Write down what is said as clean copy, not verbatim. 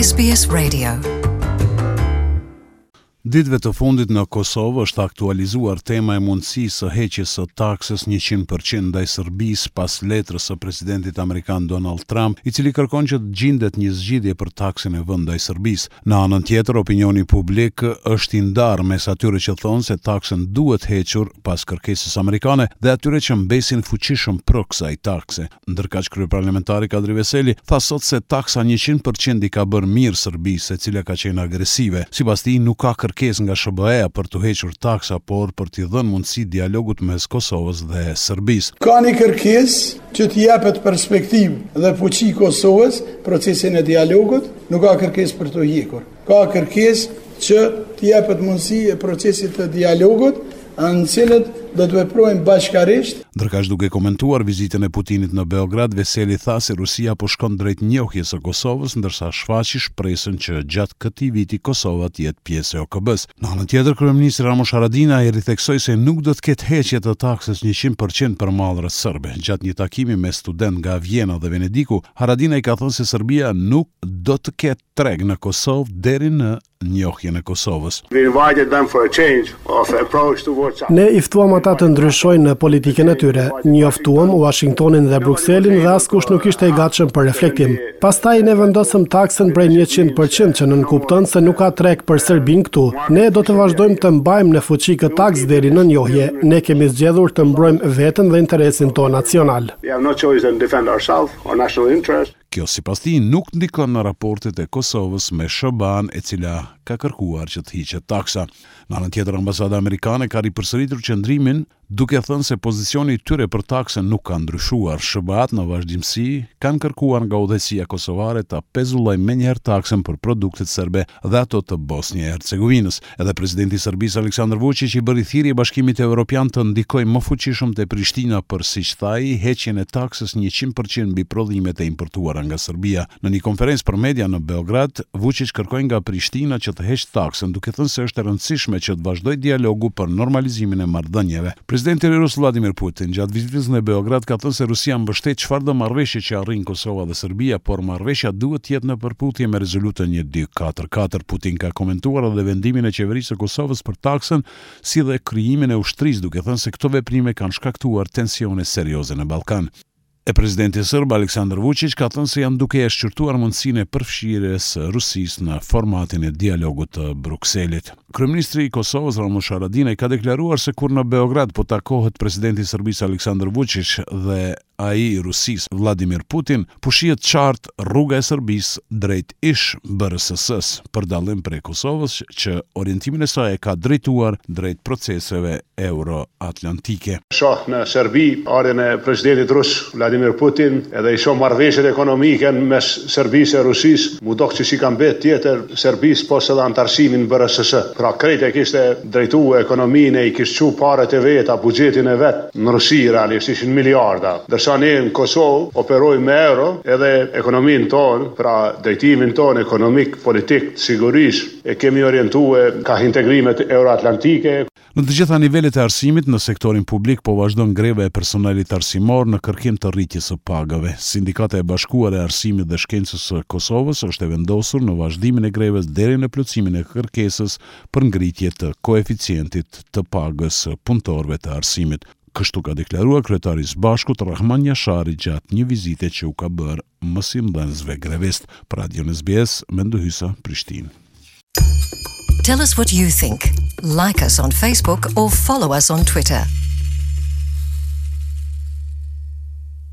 SBS Radio. Ditëve të fundit në Kosovë është aktualizuar tema e mundësisë së heqjes së taksës 100% ndaj Serbisë pas letrës së presidentit amerikan Donald Trump, i cili kërkon që të gjindet një zgjidhje për taksën e vënë ndaj Serbisë. Në anën tjetër, opinioni publik është i ndarë mes atyre që thonë se taksën duhet hequr pas kërkesës amerikane dhe atyre që mbesin fuqishëm pro kësaj takse. Ndërkaq kryeparlamentari Kadri Veseli tha sot se taksa 100% i ka bërë mirë Serbisë, e cila ka qenë agresive. Sipas tij, nuk ka kërkesë nga SHBA-ja për t'u hequr taksa, por për t'i dhënë mundësi dialogut mes Kosovës dhe Serbisë. Ka një kërkesë që t'i jepet perspektivë dhe fuqi Kosovës procesin e dialogut, nuk ka kërkesë për t'u hjekur. Ka kërkesë që t'i jepet mundësi e procesit të dialogut, në cilët do të veprojmë bashkarisht. Ndërkaq duke komentuar vizitën e Putinit në Beograd, Veseli tha se Rusia po shkon drejt njohjes së Kosovës, ndërsa shfaqi shpresën që gjatë këtij viti Kosova të jetë pjesë e OKB-së. Në anën tjetër, kryeministri Ramush Haradinaj ritheksoi se nuk do të ketë heqje të taksës 100% për mallrat serbe. Gjatë një takimi me studentë nga Vjena dhe Venediku, Haradinaj ka thënë se Serbia nuk do të ketë treg në Kosovë deri në njohjen e Kosovës. Ne i ftuam ata të ndryshojnë në politikën e tyre. Njoftuam Uashingtonin dhe Brukselin dhe askush nuk ishte i gatshëm për reflektim. Pastaj ne vendosëm taksën prej 100% që nënkupton se nuk ka treg për Serbinë këtu. Ne do të vazhdojmë të mbajmë në fuqi këtë taksë deri në njohje. Ne kemi zgjedhur të mbrojmë veten dhe interesin tonë nacional. Kjo sipas tij nuk ndikon në raportet e Kosovës me SHBA-në e cila ka kërkuar që të hiqet taksa. Në anën tjetër ambasada amerikane ka ripërsëritur qëndrimin duke thënë se pozicioni i tyre për taksën nuk ka ndryshuar. SHBA-të në vazhdimësi kanë kërkuar nga udhëheqësia kosovare ta pezullojë menjëherë taksën për produktet serbe dhe ato të Bosnjë e Hercegovinës. Edhe presidenti i Serbisë Aleksandar Vuçiq i bëri thirrje Bashkimit Evropian të ndikojë më fuqishëm te Prishtina për, siç tha ai, heqjen e taksës 100% mbi prodhimet e importuara nga Serbia. Në një konferencë për media në Beograd, Vuçiq kërkoi nga Prishtina që të heqë taksën, duke thënë se është e rëndësishme që të vazhdojë dialogu për normalizimin e marrëdhënieve. Presidenti rus Vladimir Putin, gjatë vizitës në Beograd ka thënë se Rusia mbështet çfarëdo marrëveshje që arrijnë Kosova dhe Serbia, por marrëveshja duhet të jetë në përputhje me rezolutën 1244. Putin ka komentuar edhe vendimin e qeverisë së Kosovës për taksën, si dhe krijimin e ushtrisë, duke thënë se këto veprime kanë shkaktuar tensione serioze në Ballkan. E presidenti serb Aleksandar Vuçiq ka thënë se janë duke e shqyrtuar mundësinë e përfshirjes së Rusisë në formatin e dialogut të Brukselit. Kryeministri i Kosovës, Ramush Haradinaj, ka deklaruar se kur në Beograd po takohet presidenti i Serbisë Aleksandar Vuçiq dhe ai i Rusisë Vladimir Putin, po shihet qartë rruga e Serbisë drejt ish BRSS-së, për dallim prej Kosovës që orientimin e saj e ka drejtuar drejt proceseve euroatlantike. Shoh në Serbi ardhjen e presidentit rus Vladimir Putin edhe i shoh marrëveshjet ekonomike mes Serbisë e Rusisë, m'u dok që s'i ka mbet tjetër Serbisë pos edhe anëtarësimin në BRSS. Pra krejt e kishte drejtu ekonominë e i kish çu paret e veta, buxhetin e vet në Rusi realisht ishin miliarda. Ndërsa ne në Kosovë operojmë me euro edhe ekonominë tonë, pra drejtimin tonë ekonomik, politik, të sigurisë e kemi orientue kah integrimet euroatlantike. Në të gjitha nivelet e arsimit, në sektorin publik po vazhdon greva e personelit arsimor në kërkim të rritjes së pagave. Sindikata e Bashkuar e Arsimit dhe Shkencës së Kosovës është e vendosur në vazhdimin e grevës deri në plotësimin e kërkesës për ngritje të koeficientit të pagës së punëtorëve të arsimit. Kështu ka deklaruar kryetari i SBASHK-ut, Rrahman Jashari gjatë një vizite që u ka bërë mësimdhënësve grevistë. Për Radion SBS, Mendu Hysa, Prishtinë. Tell us what you think. Like us on Facebook or follow us on Twitter.